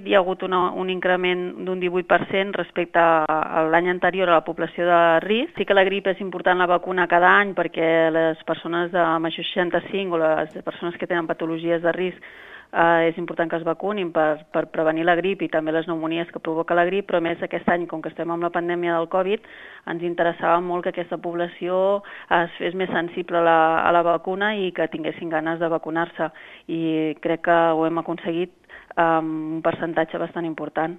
Hi ha hagut un increment d'un 18% respecte a l'any anterior a la població de risc. Sí que la grip és important la vacuna cada any perquè les persones de major 65 o les persones que tenen patologies de risc és important que es vacunin per prevenir la grip i també les pneumonies que provoca la grip, però a més aquest any, com que estem amb la pandèmia del Covid, ens interessava molt que aquesta població es fes més sensible a la vacuna i que tinguessin ganes de vacunar-se, i crec que ho hem aconseguit amb un percentatge bastant important.